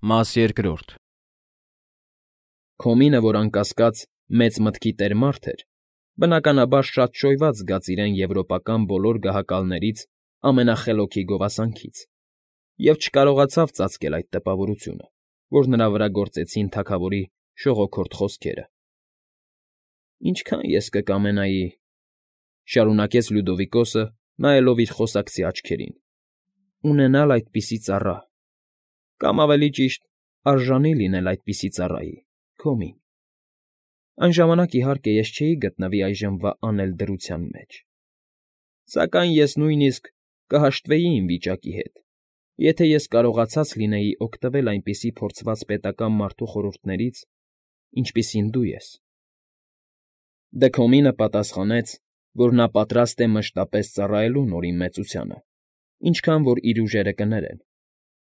Մաս երկրորդ Քոմինը, որ անկասկած մեծ մտքի տեր մարդ էր, բնականաբար շատ շոյված զգաց իրեն եվրոպական բոլոր գահակալներից ամենախելոքի գովասանքից և չկարողացավ ծածկել այդ տպավորությունը, որ նրա վրա գործեցին թագավորի շողոքորթ խոսքերը։ «Ինչքան ես կկամենայի,֊ շարունակեց Լյուդովիկոսը, նայելով իր խոսակցի աչքերին,֊ ունենալ այդպիսի ծառա, կամ ավելի ճիշտ, արժանի լինել այդպիսի ծառայի, Քոմին… Այն ժամանակ, իհարկե, ես չէի գտնվի այժմվա անելդրության մեջ, սակայն ես նույնիսկ կհաշտվեի իմ վիճակի հետ, եթե ես կարողացած լինեի օգտվել այնպիսի փորձված պետական մարդու խորհուրդներից, ինչպիսին դու ես»։ Դքոմինը պատասխանեց, որ նա պատրաստ է մշտապես ծառայելու Նորին մեծությանը, ինչքան որ իր ուժերը կներեն,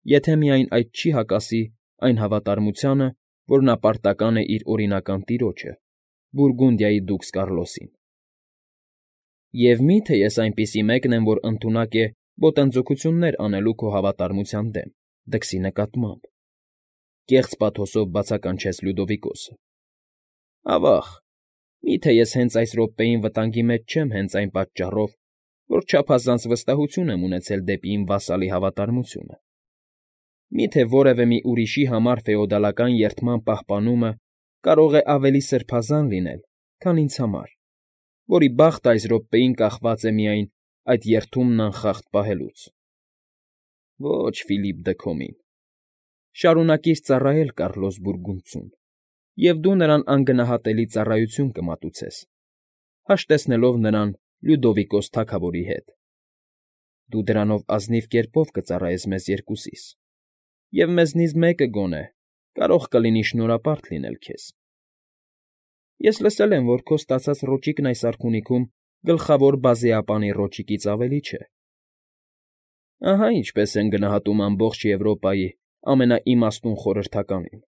եթե միայն այդ չի հակասի այն հավատարմությանը, որ նա պարտական է իր օրինական տիրոջը, Բուրգունդիայի դուքս Կառլոսին։ «Եվ մի՞թե ես այնպիսի մեկն եմ, որ ընդունակ է ոտնձգություններ անելու քո հավատարմության դեմ, դքսի նկատմամբ,֊ կեղծ պաթոսով բացականչեց Լյուդովիկոսը։ «Ավա՜ղ, մի՞թե ես հենց այս րոպեին վտանգի մեջ չեմ հենց այն պատճառով, որ չափազանց վստահություն եմ ունեցել դեպի իմ վասալի հավատարմությունը։ Մի՞թե որևէ մի ուրիշի համար ֆեոդալական երդման պահպանումը կարող է ավելի սրբազան լինել, քան ինձ համար, որի բախտը այս րոպեին կախված է միայն այդ երդումն անխախտ պահելուց։ Ոչ, Ֆիլիպ Դքոմին, շարունակիր ծառայել Կառլոս Բուրգունդցուն, և դու նրան անգնահատելի ծառայություն կմատուցես, հաշտեցնելով նրան Լյուդովիկոս թագավորի հետ։ Դու դրանով ազնիվ կերպով կծառայես մեզ երկուսիս, և մեզնից մեկը գոնե կարող կլինի շնորհապարտ լինել քեզ։ Ես լսել եմ, որ քո ստացած ռոճիկն այս արքունիքում գլխավոր բազեապանի ռոճիկից ավելի չէ։ Ահա ինչպես են գնահատում ամբողջ Եվրոպայի ամենաիմաստուն խորհրդականին.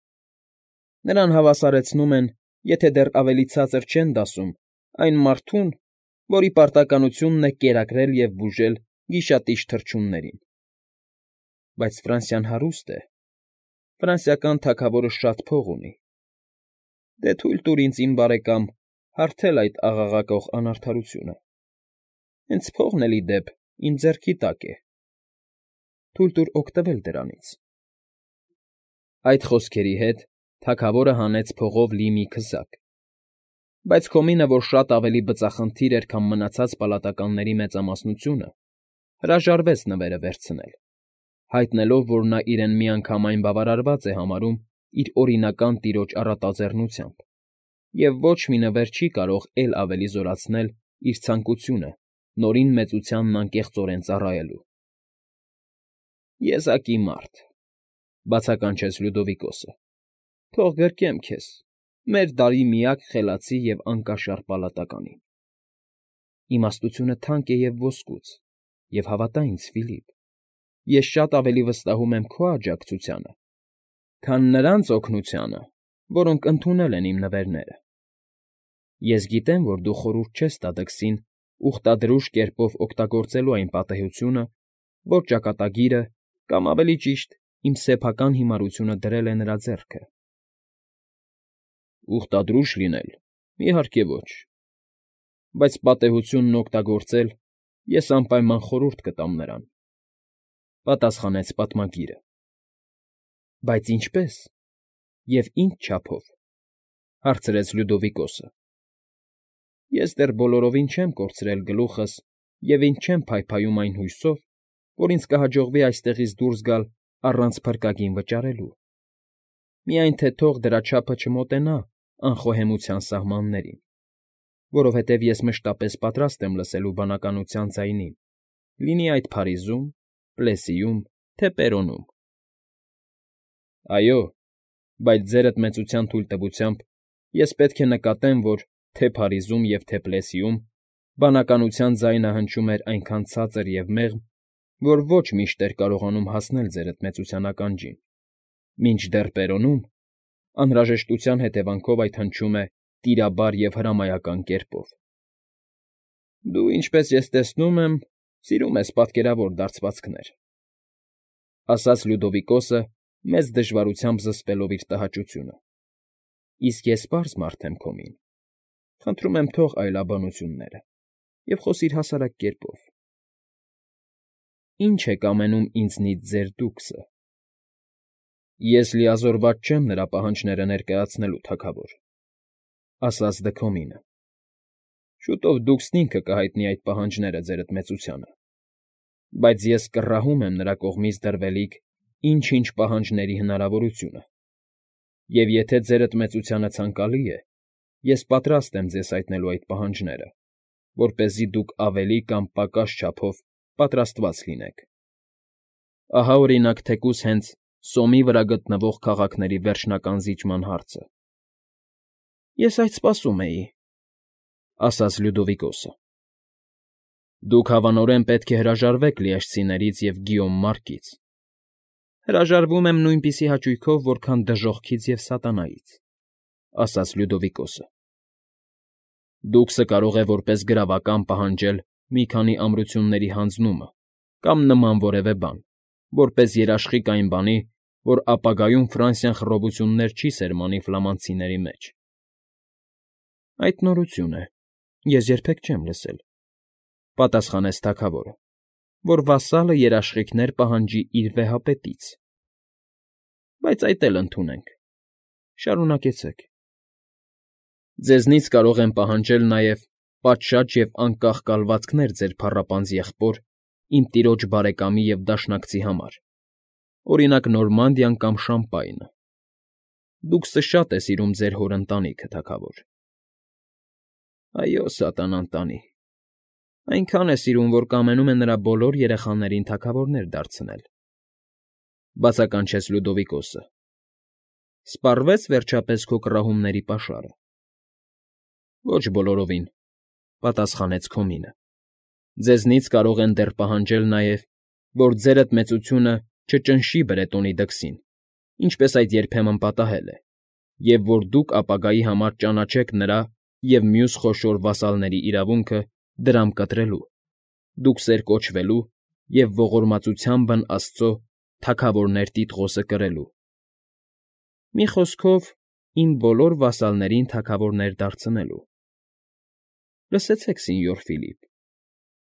նրան հավասարեցնում են, եթե դեռ ավելի ցածր չեն դասում, այն մարդուն, որի պարտականությունն է կերակրել և բուժել գիշատիչ թռչուններին։ Բայց Ֆրանսիան հարուստ է, ֆրանսիական թագավորը շատ փող ունի։ Դե թույլ տուր ինձ, իմ բարեկամ, հարթել այդ աղաղակող անարդարությունը. հենց փողն էլ, ի դեպ, իմ ձեռքի տակ է, թույլ տուր օգտվել դրանից»։ Այդ խոսքերի հետ թագավորը հանեց փողով լի մի քզակ, բայց Քոմինը, որ շատ ավելի բծախնդիր էր, քան մնացած պալատականների մեծամասնությունը, հրաժարվեց նվերը վերցնել, հայտնելով, որ նա իրեն միանգամայն բավարարված է համարում իր օրինական տիրոջ առատաձեռնությամբ և ոչ մի նվեր չի կարող էլ ավելի զորացնել իր ցանկությունը Նորին մեծությանն անկեղծորեն ծառայելու։ «Եզակի մարդ,֊ բացականչեց Լյուդովիկոսը,֊ թող գրկեմ քեզ, մեր դարի միակ խելացի և անկաշառ պալատականին։ Իմաստությունը թանկ է և ոսկուց, և հավատա ինձ, Ֆիլիպ, ես շատ ավելի վստահում եմ քո աջակցությանը, քան նրանց օգնությանը, որոնք ընդունել են իմ նվերները։ Ես գիտեմ, որ դու խորհուրդ չես տա դքսին ուխտադրուժ կերպով օգտագործելու այն պատեհությունը, որ ճակատագիրը, կամ ավելի ճիշտ, իմ սեփական հիմարությունը դրել է նրա ձեռքը։ Ուխտադրուժ լինել, իհարկե ոչ, բայց պատեհությունն օգտագործել ես անպայման խորհուրդ կտամ նրան,֊ պատասխանեց պատմագիրը։ Բայց ինչպե՞ս և ինչ չափով,֊ հարցրեց Լյուդովիկոսը։ Ես դեռ բոլորովին չեմ կորցրել գլուխս և ինձ չեմ փայփայում այն հույսով, որ ինձ կհաջողվի այստեղից դուրս գալ առանց փրկագին վճարելու, միայն թե թող դրա չափը չմոտենա անխոհեմության սահմաններին, որովհետև ես մշտապես պատրաստ եմ լսելու բանականության ձայնին, լինի այդ Փարիզում, Պլեսիում, թե Պերոնում։ Այո, բայց ձերդ մեծության թույլտվությամբ ես պետք է նկատեմ, որ թե Փարիզում և թե Պլեսիում բանականության ձայնը հնչում էր այնքան ցածր և մեղմ, որ ոչ միշտ էր կարողանում հասնել ձերդ մեծության ականջին, մինչդեռ Պերոնում անհրաժեշտության հետևանքով այդ հնչում է տիրաբար և հրամայական կերպով։ Դու, ինչպես ես տեսնում եմ, սիրում ես պատկերավոր դարձվածքներ,֊ ասաց Լյուդովիկոսը, մեծ դժվարությամբ զսպելով իր տհաճությունը։ Իսկ ես պարզ մարդ եմ, Քոմին, խնդրում եմ թող այլաբանությունները և խոսիր հասարակ կերպով։ Ի՞նչ եք ամենում ինձնից ձեր դուքսը։ Ես լիազորված չեմ նրա պահանջները ներկայացնելու, թագավոր, ասաց Դքոմինը։ Շուտով դուքսն ինքը կհայտնի այդ պահանջները ձերդ մեծությանը, բայց ես կռահում եմ նրա կողմից դրվելիք ինչ֊ինչ պահանջների հնարավորությունը, և եթե ձերդ մեծությանը ցանկալի է, ես պատրաստ եմ ձեզ հայտնելու այդ պահանջները, որպեսզի դուք ավելի կամ պակաս չափով պատրաստված լինեք։ Ահա, օրինակ, թեկուզ հենց Սոմի վրա գտնվող քաղաքների վերջնական զիջման հարցը։ Ես այդ սպասում էի, ասաց Լյուդովիկոսը։ Դուք հավանորեն պետք է հրաժարվեք Լիեժցիներից և Գիոմ Մարկից։ Հրաժարվում եմ նույնպիսի հաճույքով, որքան դժոխքից և սատանայից, ասաց Լյուդովիկոսը։ Դուքսը կարող է որպես գրավական պահանջել մի քանի ամրությունների հանձնումը կամ նման որևէ բան, որպես երաշխիք այն բանի, որ ապագայում Ֆրանսիան խռովություններ չի սերմանի ֆլամանդցիների մեջ։ Այդ նորություն է, ես երբեք չեմ լսել, պատասխանեց թագավորը, որ վասալը երաշխիքներ պահանջի իր վեհապետից։ Բայց այդ էլ ընդունենք, շարունակեցեք։ Ձեզնից կարող եմ պահանջել նաև պատշաճ և անկախ կալվածքներ ձեր փառապանծ եղբոր, իմ տիրոջ բարեկամի և դաշնակցի համար, օրինակ Նորմանդիան կամ Շամպայնը։ Դուքսը շատ է սիրում ձեր հոր ընտանիքը, թագավոր։ Այո, սատանան տանի։ Այնքան է սիրում, որ կամենում է նրա բոլոր երեխաներին թագավորներ դարձնել, բացականչեց Լյուդովիկոսը։ Սպառվեց վերջապես քո կռահումների պաշարը։ Ոչ բոլորովին, պատասխանեց Քոմինը։ Ձեզնից կարող են դեռ պահանջել նաև, որ ձերդ մեծությունը չճնշի Բրետոնի դքսին, ինչպես այդ երբեմն պատահել է, և որ դուք ապագայի համար ճանաչեք նրա և մյուս խոշոր վասալների իրավունքը դրամ կտրելու, դուքսեր կոչվելու և ողորմածությանբն Աստծո թագավորներ տիտղոսը կրելու։ Մի խոսքով, իմ բոլոր վասալներին թագավորներ դարձնելու։ Լսեցեք, սենյոր Ֆիլիպ,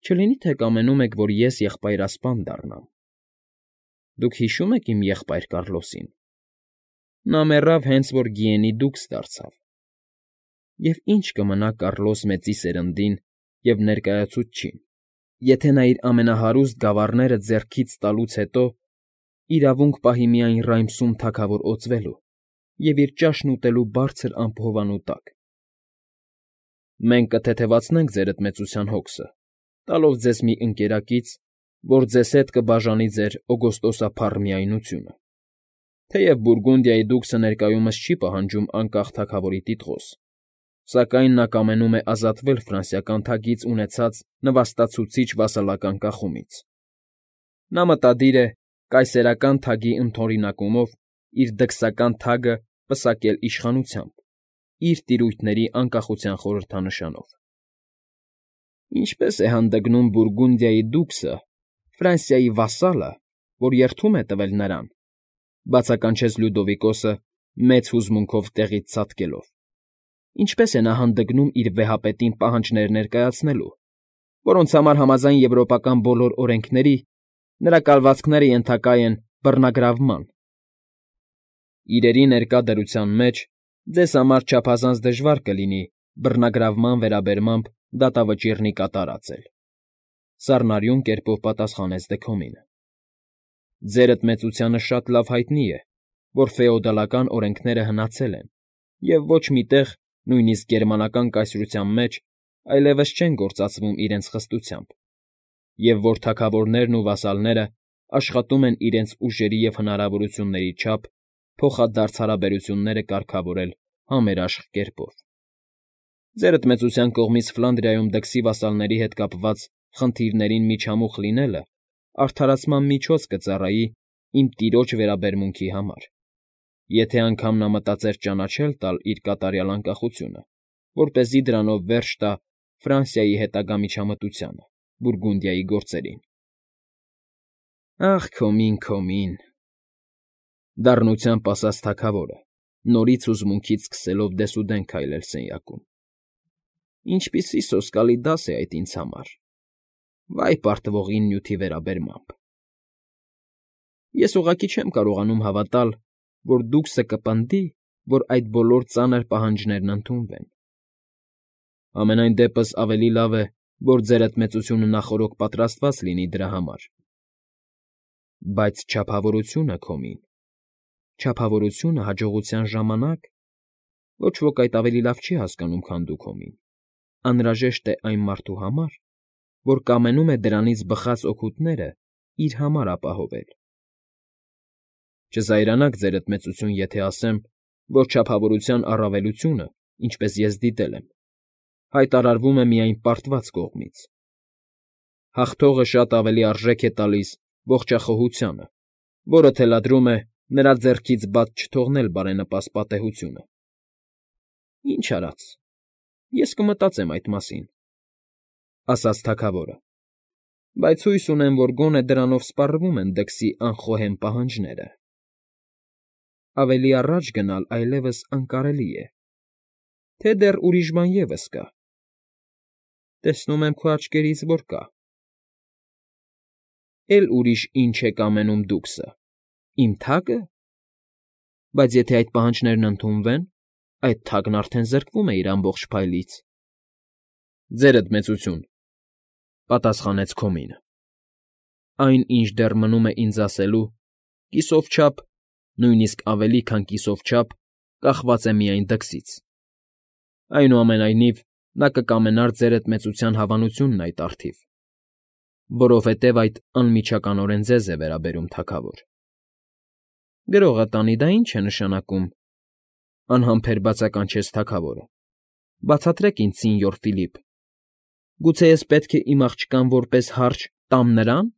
չլինի թե կամենում եք, որ ես եղբայրասպան դառնամ։ Դուք հիշո՞ւմ եք իմ եղբայր Կառլոսին։ Նա մեռավ հենց որ Գիենի դուքս դարձավ։ Եվ ի՞նչ կմնա Կառլոս Մեծի սերնդին և ներկայացուցչին, եթե նա իր ամենահարուստ գավառները ձեռքից տալուց հետո իրավունք պահի միայն Ռայմսում թագավոր օծվելու և իր ճաշն ուտելու բարձր ամփոփանու տակ։ Մենք կթեթևացնենք ձերդ մեծության հոգսը, տալով ձեզ մի ընկերակից, որ ձեզ հետ կբաժանի ձեր օգոստոսափառ միայնությունը։ Թեև Բուրգունդիայի դուքսը ներկայումս չի պահանջում անկախ թագավորի տիտղոս, սակայն նա կամենում է ազատվել ֆրանսիական թագից ունեցած նվաստացուցիչ վասալական կախումից։ Նա մտադիր է կայսերական թագի ընդօրինակումով իր դքսական թագը պսակել իշխանությամբ, իր տիրույթների անկախության խորհրդանշանով։ Ինչպե՞ս է հանդգնում Բուրգունդիայի դուքսը Ֆրանսիայի վասալը, որ երդում է տվել նրան, բացականչեց Լյուդովիկոսը մեծ հուզմունքով տեղից ցատկելով։ Ինչպե՞ս է նա հանդգնում իր վեհապետին պահանջներ ներկայացնելու, որոնց համար համաձայն եվրոպական բոլոր օրենքների նրա կալվածքները ենթակա են բռնագրավման։ Իրերի ներկա դրության մեջ ձեզ համար չափազանց դժվար կլինի բռնագրավման վերաբերմամբ դատավճիռնի կատարածել, սառնարյուն կերպով պատասխանեց Դքոմինը։ Ձերդ մեծությանը շատ լավ հայտնի է, որ ֆեոդալական օրենքները հնացել են և ոչ մի տեղ, նույնիսկ գերմանական կայսրության մեջ, այլևս չեն գործածվում իրենց խստությամբ, և որ թագավորներն ու վասալները աշխատում են իրենց ուժերի և հնարավորությունների չափ փոխադարձ հարաբերությունները կարգավորել համերաշխ կերպով։ Ձերդ մեծության կողմից Ֆլանդրիայում դքսի վասալների հետ կապված խնդիրներին միջամուխ լինելը արդարացման միջոց կծառայի իմ տիրոջ վերաբերմունքի համար, եթե անգամ նա մտածեր ճանաչել տալ իր կատարյալ անկախությունը, որպեսզի դրանով վերջ տա Ֆրանսիայի հետագա միջամտությանը Բուրգունդիայի գործերին։ Ախ, Քոմին, Քոմին, Դառնությամբ ասաց թագավորը, նորից հուզմունքից սկսելով դեսուդեն քայլել սենյակում։ Ինչպիսի սոսկալի դաս է այդ ինձ համար, վայ պարտվողին նյութի վերաբերմամբ։ Ես ուղղակի չեմ կարողանում հավատալ, որ դուքսը կպնդի, որ այդ բոլոր ծանր պահանջներն ընդունվեն։ Համենայն դեպս ավելի լավ է, որ ձերդ մեծությունը նախօրոք պատրաստված լինի դրա համար։ Բայց չափավորությունը, Քոմին, չափավորությունը հաջողության ժամանակ, ոչ ոք այդ ավելի լավ չի հասկանում, քան դու, Քոմին, անհրաժեշտ է այն մարդու համար, որ կամենում է դրանից բխած օգուտները իր համար ապահովել։ Չզայրանաք, ձերդ մեծություն, եթե ասեմ, որ չափավորության առավելությունը, ինչպես ես դիտել եմ, հայտարարվում է միայն պարտված կողմից։ Հաղթողը շատ ավելի արժեք է տալիս ողջախոհությանը, որը թելադրում է նրա ձեռքից բաց չթողնել բարենպաստ պատեհությունը։ Ինչ արած, ես կմտածեմ այդ մասին, ասաց թագավորը, բայց հույս ունեմ, որ գոնե դրանով սպառվում են դքսի անխոհեմ պահանջները։ Ավելի առաջ գնալ այլևս անկարելի է, թե դեռ ուրիշ բան ևս կա։ Տեսնում եմ քո աչքերից, որ կա։ Էլ ուրիշ ինչ եք ամենում դուքսը, իմ թագը։ Բայց եթե այդ պահանջներն ընդունվեն, այդ թագն արդեն զրկվում է իր ամբողջ փայլից։ Ձերդ մեծություն, պատասխանեց Քոմինը։ Այն, ինչ դեռ մնում է ինձ ասելու, կիսով չափ, նույնիսկ ավելի, քան կիսով չափ, կախված է միայն դքսից։ Այնուամենայնիվ, նա կկամենար ձերդ մեծության հավանությունն այդ առթիվ, որովհետև այդ անմիջականորեն ձեզ է վերաբերում, թագավոր։ Գրողը տանի դա ի՞նչ է նշանակում, անհամբեր բացականչեց թագավորը։ Բացատրեք ինձ, սենյոր Ֆիլիպ, գուցե ես պետք է իմ աղջկան որպես հարջ տամ նրան։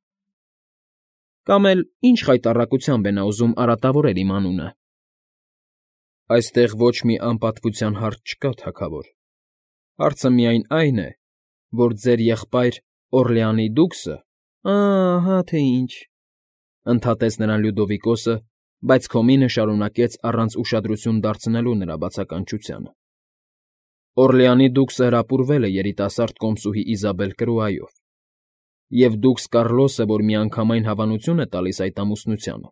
Կամ էլ ինչ խայտառակությամբ է նա ուզում արատավորել իմ անունը։ Այստեղ ոչ մի անպատվության հարց չկա, թագավոր։ Հարցը միայն այն է, որ ձեր եղբայր Օռլեանի դուքսը… Ահա թե ինչ, ընդհատեց նրան Լյուդովիկոսը, բայց Քոմինը շարունակեց առանց ուշադրություն դարձնելու նրա բացականչությանը։ Օռլեանի դուքսը հրապուրվել է երիտասարդ կոմսուհի Իզաբել Կրուայով, և դուքս Կառլոսը, որ միանգամայն հավանություն է տալիս այդ ամուսնությանը,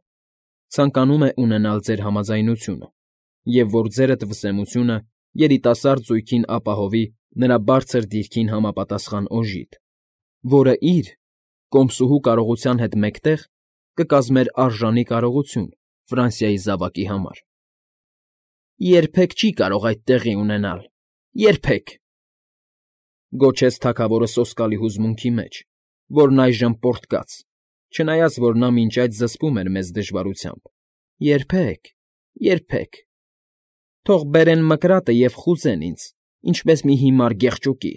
ցանկանում է ունենալ ձեր համաձայնությունը, և որ ձերդ վսեմությունը երիտասարդ զույգին ապահովի նրա բարձր դիրքին համապատասխան օժիտ, որը իր, կոմսուհու կարողության հետ մեկտեղ կկազմեր արժանի կարողություն Ֆրանսիայի զավակի համար։ Երբեք չի կարող այդ տեղի ունենալ, երբեք, գոչեց թագավորը սոսկալի հուզմունքի մեջ, որն այժմ պոռթկաց, չնայած որ նա մինչ այդ զսպում էր մեծ դժվարությամբ։ Երբեք, երբեք։ Թող բերեն մկրատը և խուզեն ինձ, ինչպես մի հիմար գեղճուկի,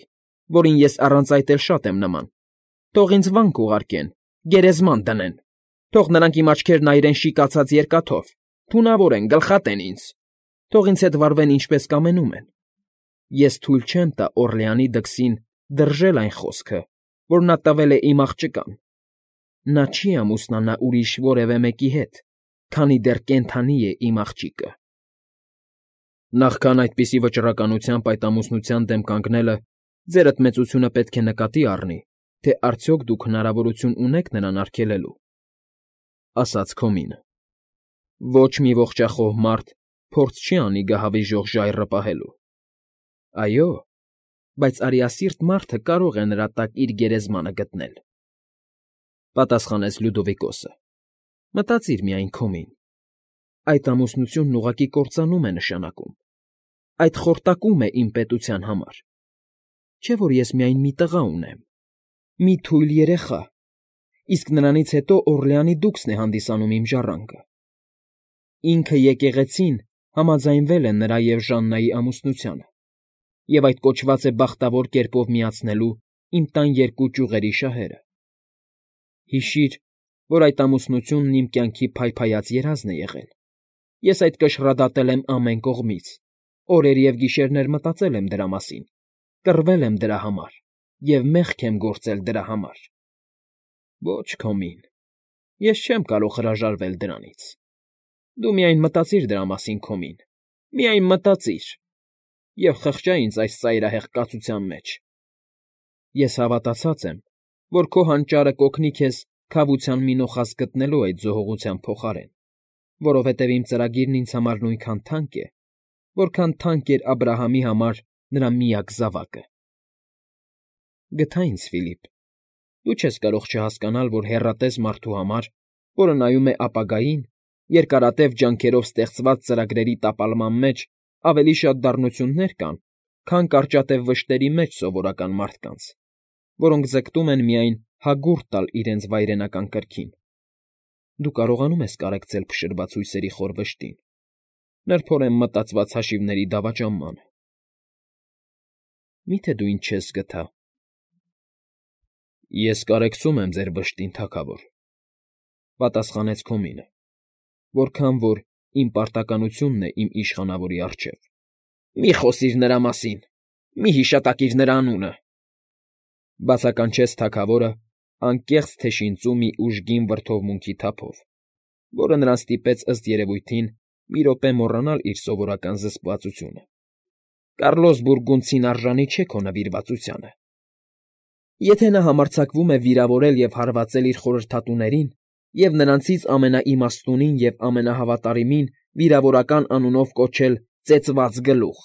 որին ես առանց այդ էլ շատ եմ նման։ Թող ինձ վանք ուղարկեն, գերեզման դնեն։ Թող նրանք իմ աչքերն այրեն շիկացած երկաթով, թունավորեն, գլխատեն ինձ։ Թող ինձ հետ վարվեն ինչպես կամենում են։ Ես թույլ չեմ տա Օռլեանի դքսին դրժել այն խոսքը, որ նա տվել է իմ աղջկան։ Նա չի ամուսնանա ուրիշ որևէ մեկի հետ, քանի դեռ կենդանի է իմ աղջիկը։ Նախքան այդպիսի վճռականությամբ այդ ամուսնության դեմ կանգնելը, ձերդ մեծությունը պետք է նկատի առնի, թե արդյոք դուք հնարավորություն ունեք նրան արգելելու, ասաց Քոմինը։ Ոչ մի ողջախոհ մարդ փորձ չի անի գահավիժող ժայռը պահելու։ Այո, բայց արիասիրտ մարդը կարող է նրա տակ իր գերեզմանը գտնել, պատասխանեց Լյուդովիկոսը։ Մտածիր միայն, Քոմին, այդ ամուսնությունն ուղղակի կործանում է նշանակում, այդ խորտակում է իմ պետության համար։ Չէ՞ որ ես միայն մի տղա ունեմ, մի թույլ երեխա, իսկ նրանից հետո Օռլեանի դուքսն է հանդիսանում իմ ժառանգը։ Ինքը եկեղեցին համաձայնվել է նրա և Ժաննայի ամուսնությանը, և այդ կոչված է բախտավոր կերպով միացնելու իմ տան երկու ճյուղերի շահերը։ Հիշիր, որ այդ ամուսնությունն իմ կյանքի փայփայած երազն է եղել։ Ես այդ կշռադատել եմ ամեն կողմից, օրեր և գիշերներ մտածել եմ դրա մասին, կռվել եմ դրա համար և մեղք եմ գործել դրա համար։ Ոչ, Քոմին, ես չեմ կարող հրաժարվել դրանից։ Դու միայն մտածիր դրա մասին, Քոմին, միայն մտածիր և խղճա ինձ այս ծայրահեղ կացության մեջ. ես հավատացած եմ, որ քո հանճարը կօգնի քեզ քավության մի նոխազ գտնելու այդ զոհողության փոխարեն, որովհետև իմ ծրագիրն ինձ համար նույնքան թանկ է, որքան թանկ էր Աբրահամի համար նրա միակ զավակը։ Գթա ինձ, Ֆիլիպ, դու չես կարող չհասկանալ, որ հեռատես մարդու համար, որը նայում է ապագային, երկարատև ջանքերով ստեղծված ծրագրերի տապալման մեջ ավելի շատ դառնություններ կան, քան կարճատև վշտերի մեջ սովորական մարդկանց, որոնք ձգտում են միայն հագուրդ տալ իրենց վայրենական կրքին։ Դու կարողանում ես կարեկցել փշրված հույսերի խոր վշտին, նրբորեն մտածված հաշիվների դավաճանմանը։ Մի՞թե դու ինձ չես գթա։ Ես կարեկցում եմ ձեր վշտին, թագավոր, պատասխանեց Քոմինը, որքան որ իմ պարտականությունն է իմ իշխանավորի առջև։ Մի խոսիր նրա մասին, մի հիշատակիր նրա անունը, բացականչեց թագավորը անկեղծ թեշինծու մի ուժգին վրդովմունքի թափով, որը նրան ստիպեց ըստ երևույթին մի րոպե մոռանալ իր սովորական զսպվածությունը։ Կառլոս Բուրգունդցին արժանի չէ քո նվիրվածությանը։ Եթե նա համարձակվում է վիրավորել և հարվածել իր խորհրդատուներին և նրանցից ամենաիմաստունին և ամենահավատարիմին վիրավորական անունով կոչել «ծեծված գլուխ»,